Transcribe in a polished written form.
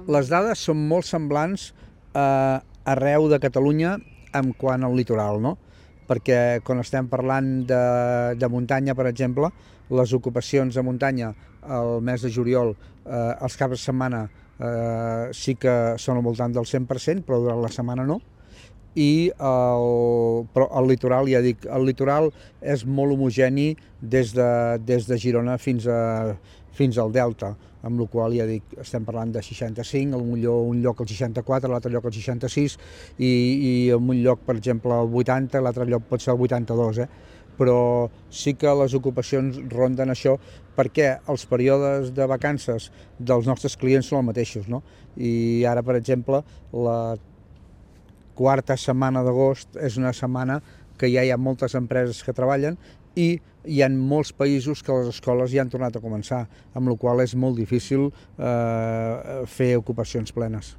Les dades són molt semblants arreu de Catalunya en quant al litoral, no? Perquè quan estem parlant de muntanya, per exemple, les ocupacions de muntanya al mes de juliol, els caps de setmana sí que són al voltant del 100%, però durant la setmana no. Però el litoral, ja dic, el litoral és molt homogeni des de Girona fins al Delta, amb la qual ja dic, estem parlant de 65, un lloc al 64, l'altre lloc al 66, i en un lloc, per exemple, al 80, l'altre lloc pot ser al 82, però sí que les ocupacions ronden això perquè els períodes de vacances dels nostres clients són els mateixos, no? I ara, per exemple, la quarta setmana d'agost és una setmana que ja hi ha moltes empreses que treballen i hi ha molts països que les escoles ja han tornat a començar, amb la qual cosa és molt difícil fer ocupacions plenes.